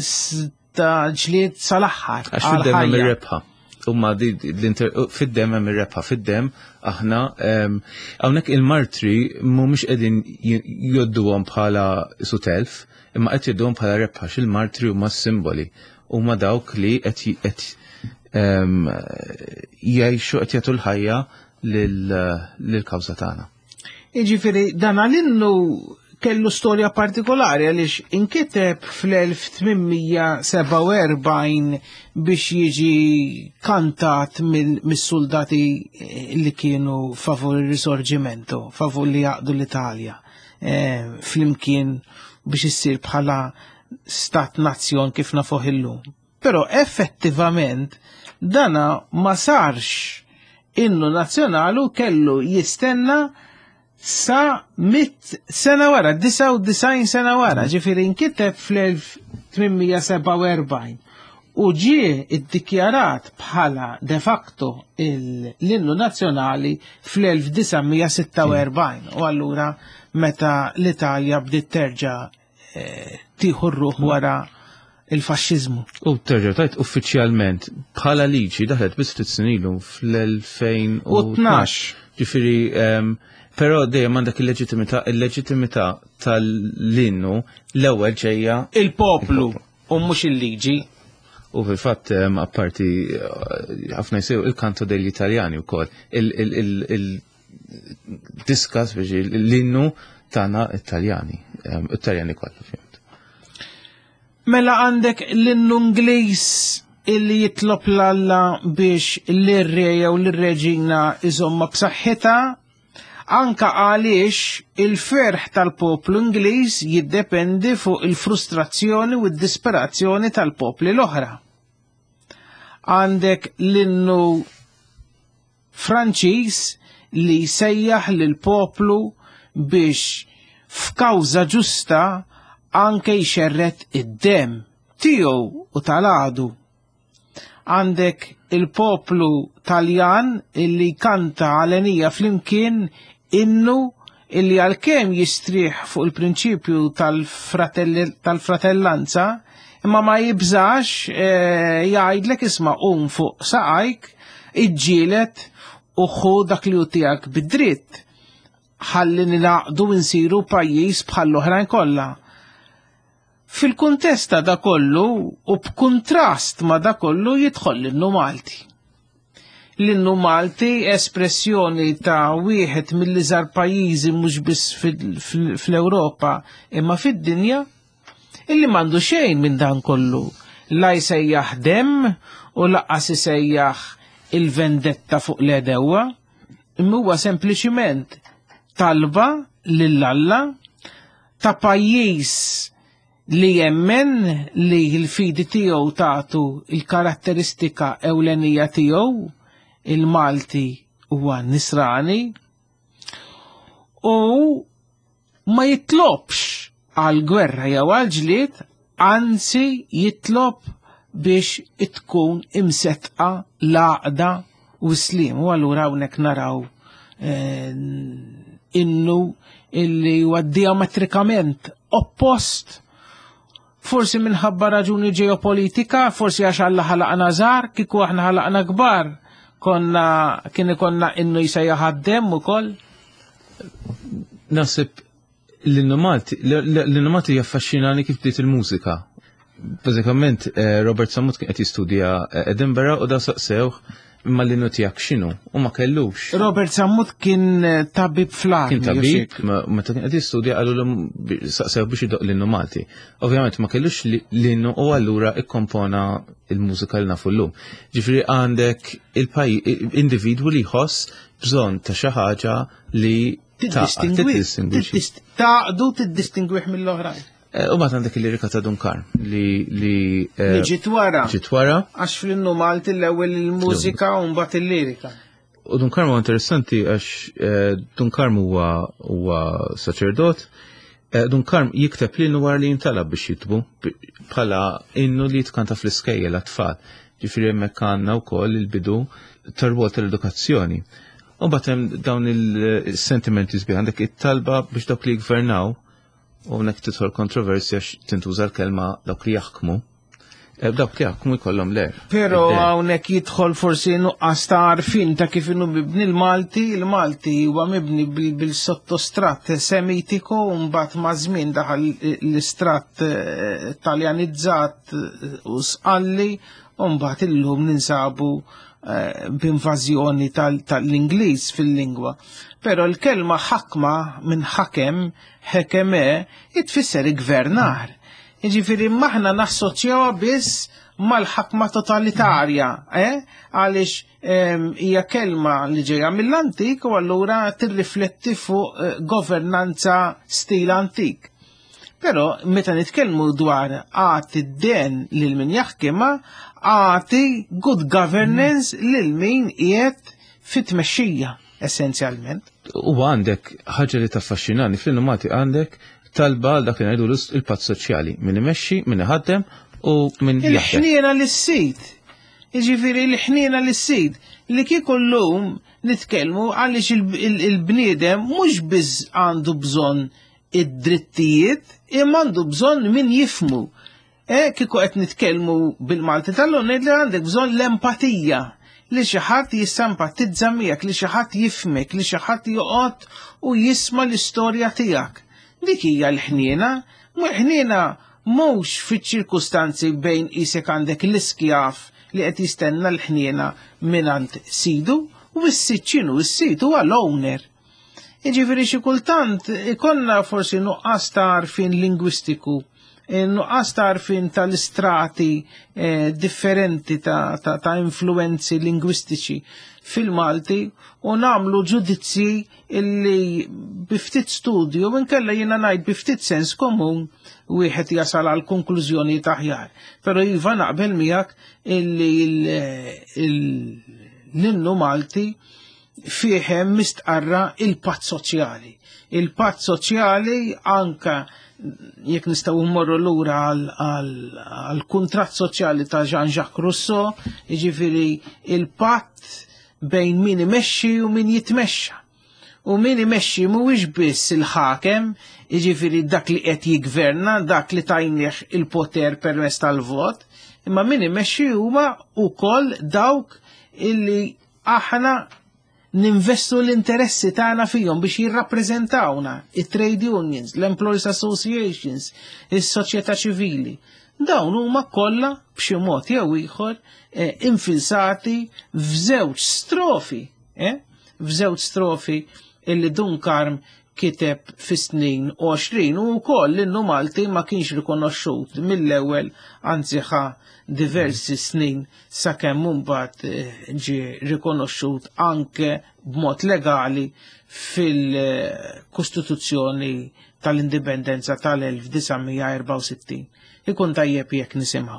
ta' ġlied sal-aħħar. Għax fid-dem hemm ir-rebħa. Umma fid-dem hemm ir-rebħa, fid-dem aħna hawnhekk il-martri mhumiex qegħdin jodduhom bħala sutelf, imma qed jodduhom bħala rebħa x'il-martri huma simboli huma dawk li qed jgħixu qed jagħtu l-ħajja lill-kawża tagħna. Jiġifieri dan għal-innu kellu storja partikolari għaliex inkiteb fl-1847 biex jiġi kantat mis-soldati li kienu favur il-risorgimento, favur li jaqdu l-Italja, eh, flimkien biex issir bħala stat nazzjon kif nafuh illum. Però effettivament dana ma sarx innu nazzjonali u kellu jistenna sa mit sena wara, 99 sena wara, ġifieri nkiteb fl-1847. U ġie iddikjarat bħala de facto l-innu nazzjonali fl-1946 u allura meta l-Italja bdiet terġa' eh, tieħu r-ruħ wara il-faxxiżmu. U terġa' tajt uffiċjalment bħala liġi daħlet biss ftit snin ilu fl-2012. Ġifieri ehm, però dejjem għandek il-leġittimità, il-leġittimità tal-innu l-ewwel ġejja il-poplu u mhux il-liġi. U fil-fatt ehm, apparti eh, ħafna jsew il-kanto degli Italjani wkoll il-diskas biex l-innu tagħna Italjani, ehm, Italjani kollha fhimt. Mela għandek l-innu Ingliż illi jitlob l-Alla biex l-re jew l-reġina iżomma b'saħħitha, anka għaliex il-ferħ tal-poplu Ingliż jiddependi fuq il-frustrazzjoni u d-disperazzjoni tal-popli l-oħra. Għandek l-innu Franċiż li jsejjaħ lill-poplu biex f'kawża ġusta anke jxerred id-demm tiegħu u tal-għadu. Għandek il-poplu Taljan illi jkanta għalenija flimkien innu illi għalkemm jistrieħ fuq il-prinċipju tal-fratellanza, imma ma jibżax eh, jgħidlek isma' qum fuq saqajk, iġġielet u ħu dak li hu tiegħek bid-dritt ħalli nilaqdu nsiru pajjiż bħall-oħrajn kollha. Fil-kuntest ta' da kollu u b'kuntrast ma' da kollu jidħol l-innu Malti. L-innu Malti espressjoni ta' wieħed mill-iżgħar pajjiżi mhux biss fl-Ewropa imma fid-dinja illi m'għandu xejn minn dan kollu. La jsejjaħ demm u laqqas isejjaħ il-vendetta fuq l-għedewwa, imma huwa sempliċiment talba lil Alla ta' pajjiż li jemmen li l-fidi tiegħu tagħtu il-karatteristika ewlenija tiegħu, il-Malti huwa nisrani, u ma jitlobx għal gwerra jew għal ġlied, anzi jitlob biex tkun imsetqa l-għaqda u slim. U allura hawnhekk naraw eh, innu illi huwa diametrikament oppost forsi minħabba raġuni ġeopolitika, forsi għax Alla ħalaqna żgħar, kieku aħna ħalaqna kbar, konna kien ikonna innu jsejjaħ għad-demm ukoll. Naħseb l-innu Malti jaffaxxinani kif bdiet il-mużika. Bażikament eh, Robert Samut kien qed jistudja eh, Edinburgh u da saqsewh imma l-innu tiegħek x'inhu u ma kellux. Robert Sammut kien eh, tabib fl-armi. Kien tabib, meta kien qed jistudja qalu saqsew biex idoq l-innu Malti. Ovvjament ma kellux l-innu u allura ikkompona il-mużika li nafu llum. Ġifieri għandek il-paj individwu li jħoss bżonn ta' xi ħaġa li tiddistingwi. Taqdu tiddistingwih mill-oħrajn. Eh, u bat għandek il-lirika ta' Dunkar li li eh, li ġiet wara. Ġiet wara. Għax fl-innu Malti l-ewwel il-mużika u mbagħad il-lirika. U Dunkar huwa interessanti għax eh, Dunkar huwa huwa saċerdot. Dunkar jikteb l wara li jintalab biex jitbu bħala innu li jitkanta fl-iskejjel għat-tfal. Ġifieri hemmhekk għandna wkoll il-bidu tar-rwol tal-edukazzjoni. U mbagħad hemm dawn il-sentimenti sbieħ għandek it-talba biex dawk li jgvernaw U hawnhekk tidħol kontroversja tintuża l-kelma dawk li jaħkmu. Eh, dawk li jaħkmu jkollhom l-er. Però hawnhekk jidħol forsi nuqqas ta' għarfien ta' kif inhu mibni l-Malti, il-Malti huwa mibni bil-sottostrat semitiku u mbagħad ma' żmien daħal l-istrat eh, taljanizzat eh, u sqalli u mbagħad illum ninsabu Eh, b'invażjoni tal-Ingliż fil-lingwa. Però l-kelma ħakma minn ħakem, ħekeme, jitfisser gvernar. Jiġifieri maħna nassoċjawha biss mal-ħakma totalitarja, eh? għaliex ehm, hija kelma li ġejja mill-antik u allura tirrifletti fuq eh, governanza stil antik. Però meta nitkellmu dwar għati d-den lil min jaħkimha, għati good governance lil min qiegħed fit-tmexxija essenzjalment. U għandek ħaġa li taffaxxinani fl-innu Malti għandek talba għal dak li ngħidu il-patt soċjali, min imexxi, min iħaddem u min jaħdem. Il-ħniena lis-sid. Jiġifieri l-ħniena lis-sid li kieku llum nitkellmu għaliex il-bniedem mhux biss għandu bżonn id-drittijiet imma għandu bżonn min jifmu. E, kieku qed nitkellmu bil-Malti tal-lum ngħid li għandek bżonn l-empatija li xi ħadd jissempatizza miegħek, li xi ħadd jifhmek, li xi ħadd joqgħod u jisma' l-istorja tiegħek. Dik hija l-ħniena, l-ħniena mhux fiċ-ċirkustanzi bejn qisek għandek l-iskjav li qed jistenna l-ħniena mingħand sidu u s-sid x'inhu s-sid huwa l-owner. Jiġifieri xi kultant ikollna forsi nuqqas ta' għarfien lingwistiku, eh, nuqqas ta' għarfien tal-istrati eh, differenti ta', ta, ta influenzi lingwistiċi fil-Malti u nagħmlu ġudizzji illi biftit studju minkella jiena ngħid biftit sens komun wieħed jasal għal konklużjoni aħjar. Però iva naqbel miegħek illi l-innu Malti fih hemm mistqarra il-patt soċjali. Il-patt soċjali anka jekk nistgħu mmorru lura għal kuntratt soċjali ta' Jean-Jacques Rousseau, jiġifieri il-patt bejn min imexxi u min jitmexxa. U min imexxi mhuwiex biss il-ħakem, jiġifieri dak li qed jiggverna, dak li tajnieh il-poter permezz tal-vot, imma min imexxi huma wkoll dawk illi aħna ninvestu l-interessi tagħna fihom biex jirrappreżentawna it-trade unions, l-employees associations, is-soċjetà ċivili. Dawn huma kollha b'xi mod jew ieħor eh, infilsati f'żewġ strofi, eh? f'żewġ strofi illi Dun Karm kiteb fis-snin 20 u wkoll l-innu Malti ma kienx rikonoxxut mill-ewwel anzi ħa diversi snin sakemm mbagħad eh, ġie rikonoxxut anke b'mod legali fil-Kostituzzjoni tal-Indipendenza tal-1964. Ikun tajjeb jekk nisimgħu.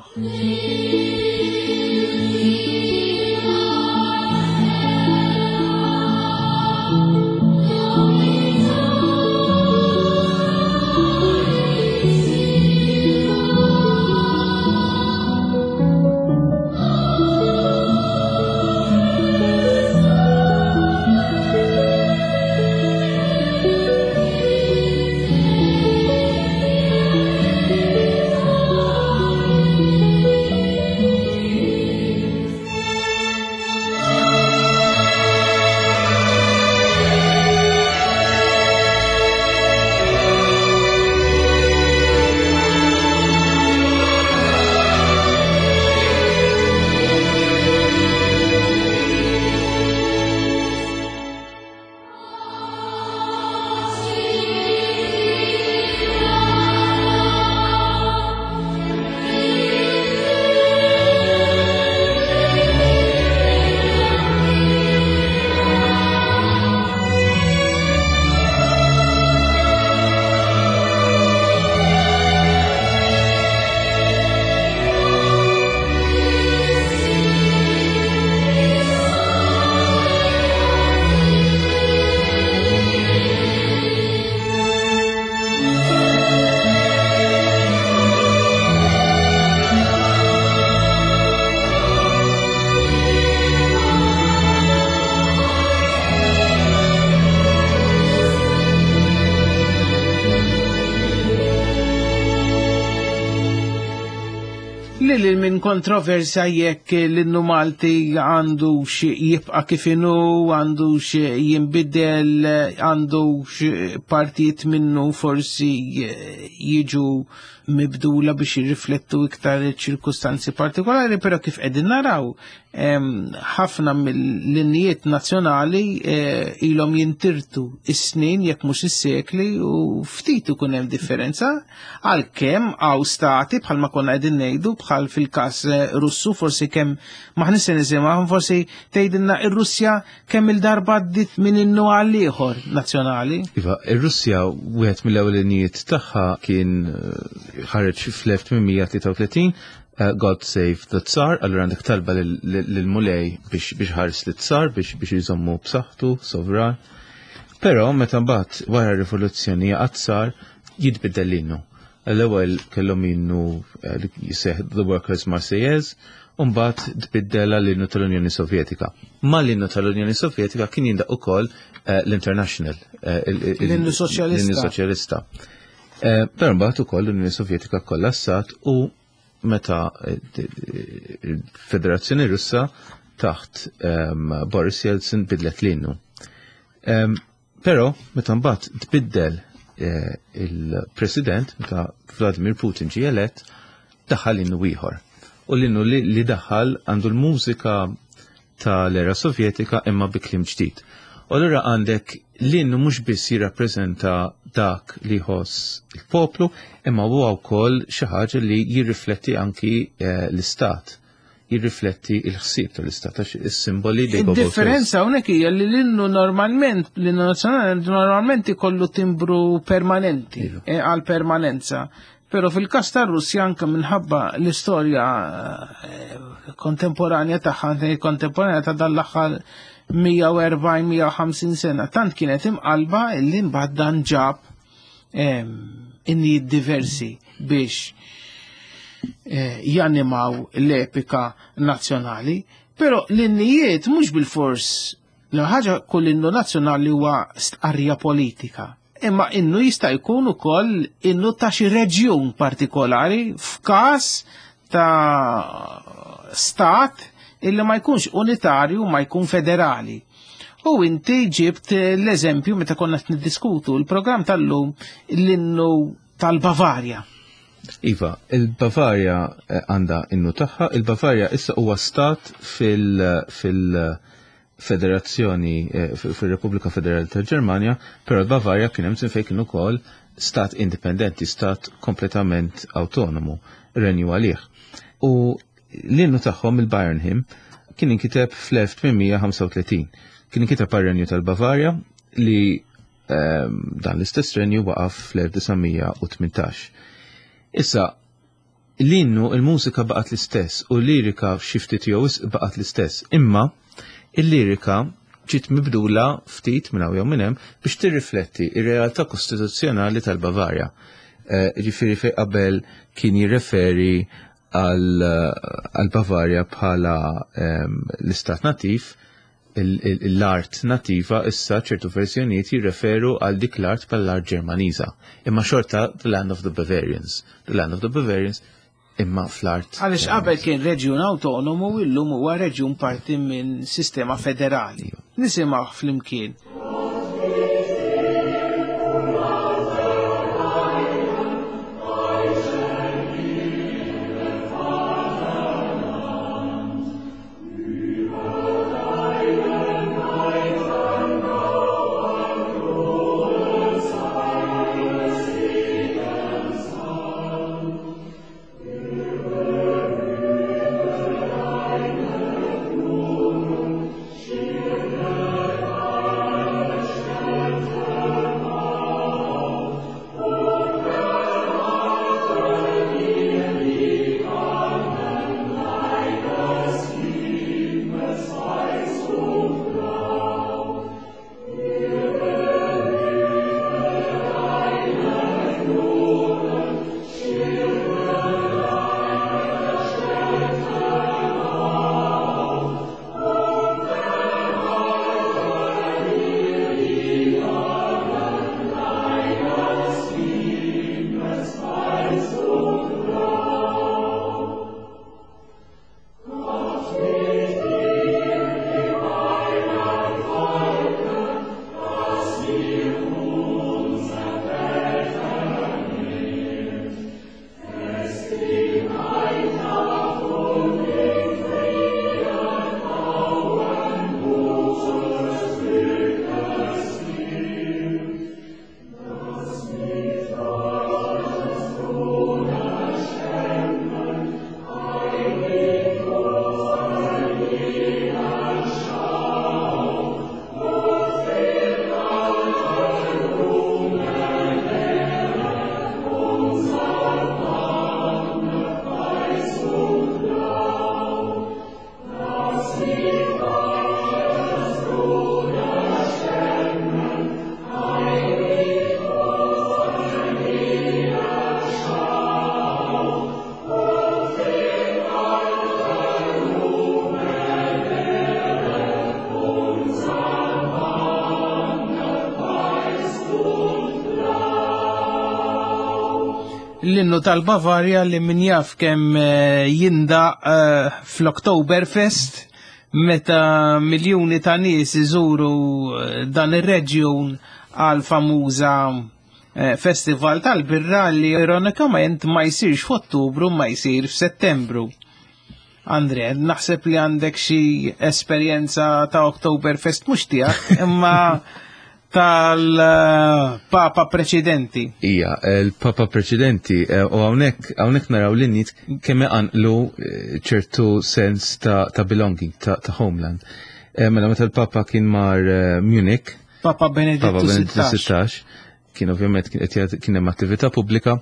Lil minn kontroversja jekk l-innu Malti għandu xi jibqa' kif inhu, għandu xi jinbidel, għandu xi partijiet minnu forsi jiġu mibdula biex jirriflettu iktar ċirkustanzi partikolari, però kif qegħdin naraw ħafna mill-linjiet nazzjonali eh, ilhom jintirtu is-snin jekk mhux is-sekli u ftit ikun hemm differenza għalkemm hawn stati bħalma konna qegħdin ngħidu bħal fil-każ eh, Russu forsi kemm maħniex se nisimgħu forsi tgħidilna ir-Russja kemm il-darba għaddiet minn innu għal ieħor nazzjonali. Iva, ir-Russja wieħed mill-ewwel tagħha kien eh, ħareġ fl-1833 eh, God Save the Tsar, allura għandek talba lill-Mulej biex ħares lit tsar biex biex jżommu b'saħħtu, sovran. Però meta mbagħad wara r-rivoluzzjoni jaqa' tsar jitbiddel l-innu. L-ewwel kellhom innu eh, li jiseħ The Workers Marseillaise, u mbagħad tbiddel għall-innu tal-Unjoni Sovjetika. Mal-innu tal-Unjoni Sovjetika kien jindaq ukoll eh, l-International. Eh, l-innu Soċjalista. L-innu Soċjalista. Però mbagħad ukoll l-Unjoni Sovjetika kollassat u meta il-Federazzjoni Russa taħt ehm, Boris Yeltsin bidlet l-innu. Ehm, però meta mbagħad tbiddel eh, il-President, meta Vladimir Putin ġie elett, daħal innu ieħor. U l-innu li daħal għandu l-mużika tal-era Sovjetika imma bi kliem ġdid. U allura għandek l-innu mhux biss jirrappreżenta dak li jħoss il-poplu, imma huwa wkoll xi ħaġa li jirrifletti anki eh, l-istat jirrifletti il-ħsieb tal-istat għax is-simboli li Differenza hawnhekk hija li l-innu normalment, l-innu nazzjonali normalment ikollu timbru permanenti iva. eh, għal permanenza. Pero fil-każ tar-Russja anke minħabba l-istorja eh, kontemporanja tagħha, kontemporanja ta' dan l-aħħar 140-150 sena, tant kienet imqalba illi mbagħad dan ġab ehm, innijiet diversi biex eh, janimaw l-epika nazzjonali, pero l-innijiet mhux bil-fors l ħaġa kull innu nazzjonali huwa stqarrija politika imma innu jista' jkun ukoll innu ta' xi reġjun partikolari f'każ ta' stat illi ma jkunx unitarju ma jkun federali. U inti ġibt l-eżempju meta konna niddiskutu l-programm tal-lum l-innu tal-Bavarja. Iva, il-Bavarja eh, għandha innu tagħha, il-Bavarja issa huwa stat fil-, fil federazzjoni eh, fir-Repubblika Federali tal-Ġermanja, però l-Bavarja kien hemm fejn kien ukoll stat indipendenti, stat kompletament autonomu, renju għalih. U l-innu tagħhom il-Bayern Hymn kien inkiteb fl-1835. Kien inkiteb għar-renju tal-Bavarja li ehm, dan l-istess renju waqaf fl-1918. Issa, L-innu, il-mużika baqgħet l-istess u l-lirika xi ftit jew wisq baqgħet l-istess. Imma il-lirika ġiet mibdula ftit minn hawn jew minn hemm biex tirrifletti r-realtà kostituzzjonali tal-Bavarja. Eh, ġifieri fejn qabel kien jirreferi għal Bavarja bħala ehm, l-istat nativ, l-art nativa issa ċertu verżjonijiet jirreferu għal dik l-art bħala l-art Ġermaniża. Imma xorta the land of the Bavarians. The land of the Bavarians imma fl-art. Għaliex qabel kien reġjun autonomu illum huwa reġjun parti minn sistema federali. Iva. Nisimgħu flimkien. L-innu tal-Bavarja li min jaf kemm jindaq fl-Oktoberfest meta miljuni ta' nies iżuru dan ir-reġjun għal famuża festival tal-birra li ironikament ma jsirx f'Ottubru ma jsir f'Settembru. Andre, naħseb li għandek xi esperjenza ta' Oktoberfest mhux tiegħek, imma tal-Papa preċedenti. Ija, il-Papa preċedenti, u hawnhekk naraw l-innijiet kemm iqanqlu ċertu sens ta' belonging, ta' homeland. Mela meta l-Papa kien mar Munich, Papa Benedittu Papa Benedittu 16. 16, kien ovvjament kien qed jagħti, kien hemm attività pubblika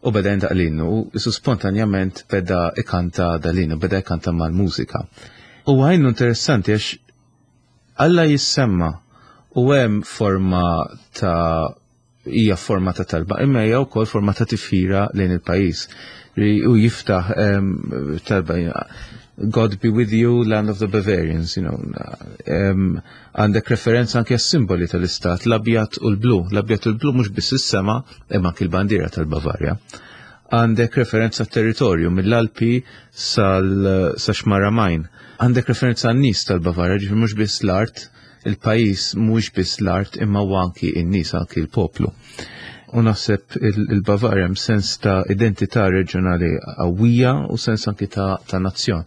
u beda jindaq l-innu u isu spontanjament beda ikanta dal-innu, beda ikanta mal-mużika. U għajnu interessanti għax Alla jissemma u hemm forma ta' hija forma ta' talba, imma hija wkoll forma ta' tifħira lejn il-pajjiż. U jiftaħ talba God be with you, land of the Bavarians, you know. Għandek referenza anke għas-simboli tal-istat, l-abjad u l-blu. L-abjad u l-blu mhux biss is-sema, imma anke l-bandiera tal-Bavarja. Għandek referenza territorju mill-Alpi sa Xmara Main. Għandek referenza għan-nies tal-Bavarja, ġifieri mhux biss l-art, il-pajjiż mhuwiex biss l-art imma huwa anki n-nies, anki l-poplu. U naħseb il-Bavarja hemm sens ta' identità reġjonali qawwija u sens anki ta' nazzjon.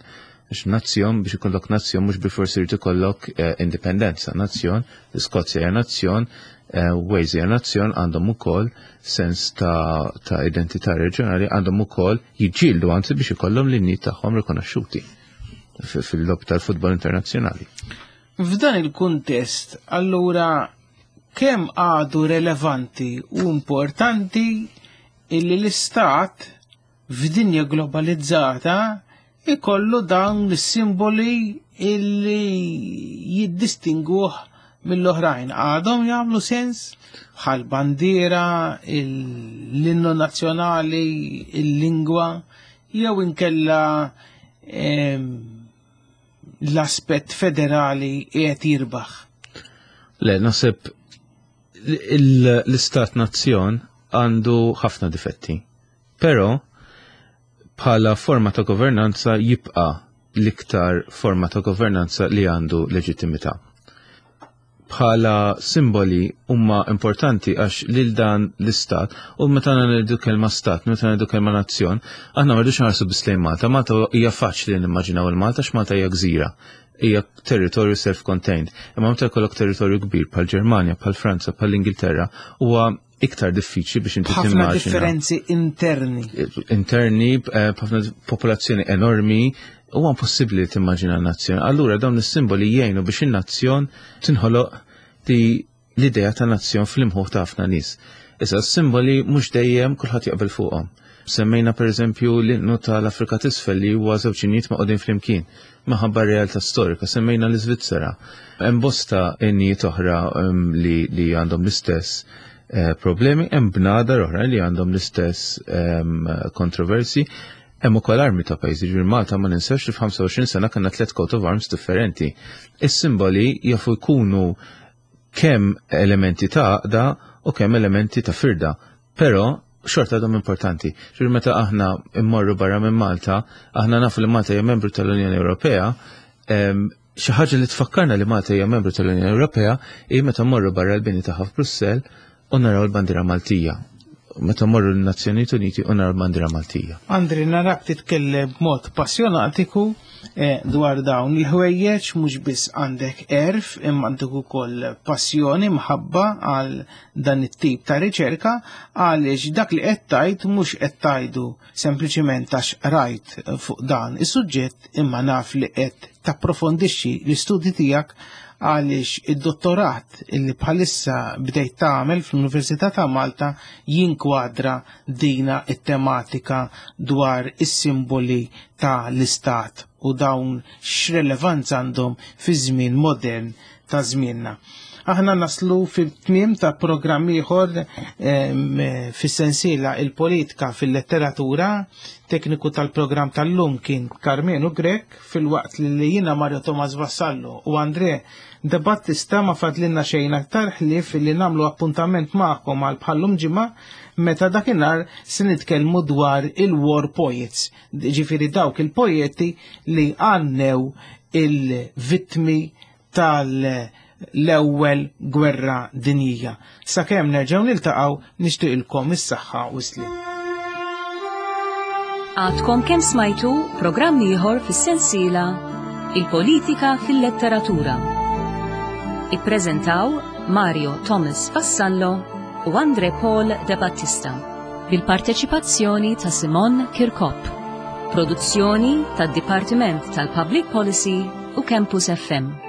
Għax nazzjon, biex ikollok nazzjon, mhux bilforsi jrid ikollok indipendenza. Nazzjon, l-Iskozja hija nazzjon, Wales hija nazzjon, għandhom ukoll sens ta' identità reġjonali, għandhom ukoll jiġġieldu anzi biex ikollhom l-innijiet tagħhom rikonoxxuti fil-logħob tal-futbol internazzjonali. F'dan il-kuntest, allura, kemm għadu relevanti u importanti illi l-istat f'dinja globalizzata ikollu dawn l-simboli illi jiddistinguh mill-oħrajn? Għadhom jagħmlu sens bħal bandiera, l-innu nazzjonali, il-lingwa, jew inkella l-aspett federali qiegħed jirbaħ? Le, naħseb l-istat nazzjon għandu ħafna difetti. Però bħala forma ta' governanza jibqa' l-iktar forma ta' governanza li għandu leġittimità. Bħala simboli huma importanti għax lil dan l-istat, u meta ngħidu kelma stat, meta ngħidu kelma nazzjon, aħna ma rridux nħarsu biss lejn Malta. Malta hija faċli nimmaġinaw il-Malta għax Malta hija gżira, hija territorju self-contained. Imma meta jkollok territorju kbir bħal Ġermanja, bħal Franza, bħal Ingilterra, huwa iktar diffiċli biex inti Ħafna timmaġina. differenzi interni. Interni, b'ħafna popolazzjoni enormi, huwa impossibbli li timmaġina nazzjon. Allura dawn is-simboli jgħinu biex in-nazzjon tinħoloq di l-idea ta' nazzjon fl-imħuħ ta' ħafna nies. Issa s-simboli mhux dejjem kulħadd jaqbel fuqhom. Semmejna pereżempju l-innu tal-Afrika t'Isfel li huwa żewġ innijiet maqgħudin flimkien minħabba r-realtà storika. Semmejna l-Iżvizzera. Hemm bosta innijiet oħra li għandhom l-istess problemi, hemm bnadar oħra li għandhom l-istess kontroversi. Hemm ukoll armi ta' pajjiżi, ġifieri Malta ma ninsewx li f'25 sena kellna 3 coat of arms differenti. Is-simboli jafu jkunu kemm elementi ta' għaqda u kemm elementi ta' firda, però xorta għadhom importanti. Ġifieri meta aħna immorru barra minn Malta, aħna nafu li Malta hija membru tal-Unjoni Ewropea, xi ħaġa li tfakkarna li Malta hija membru tal-Unjoni Ewropea hi meta mmorru barra l-bini tagħha f'Brussell u naraw l-bandiera Maltija. Meta mmorru l-Nazzjonijiet Uniti u naraw l-bandiera Maltija. Andri, narak titkellem b'mod passjonatiku dwar dawn il-ħwejjeġ, mhux biss għandek erf, imma għandek ukoll passjoni, mħabba għal dan it-tip ta' riċerka, għaliex dak li qed tgħid mhux qed tgħidu sempliċiment għax rajt fuq dan is-suġġett, imma naf li qed tapprofondixxi l-istudji tiegħek għaliex id-dottorat illi bħalissa bdejt tagħmel fl-Università ta' Malta jinkwadra dina it-tematika dwar is-simboli ta' l-istat u dawn x'relevanza għandhom fi żmien modern ta' żmienna. Aħna naslu fit-tmiem ta' programm ieħor fis-sensiela il-politika fil-letteratura. Tekniku tal-programm tal-lum kien Karmenu Grech, filwaqt li jiena Mario Thomas Vassallo u Andre De Battista ma fadlinna xejn aktar ħlief li nagħmlu appuntament magħkom għal bħallum ġimgħa meta dakinhar se nitkellmu dwar il-war poets, ġifieri dawk il-poeti li għannew il-vittmi tal-ewwel gwerra dinjija. Sakemm nerġgħu niltaqgħu nixtieqilkom is-saħħa u s-sliem. Għadkom kemm smajtu programm ieħor fis-sensiela Il-Politika fil-Letteratura. Ippreżentaw Mario Thomas Vassallo u Andre Paul De Battista bil-parteċipazzjoni ta' Simon Kirkop. Produzzjoni tad-Dipartiment tal-Public Policy u Campus FM.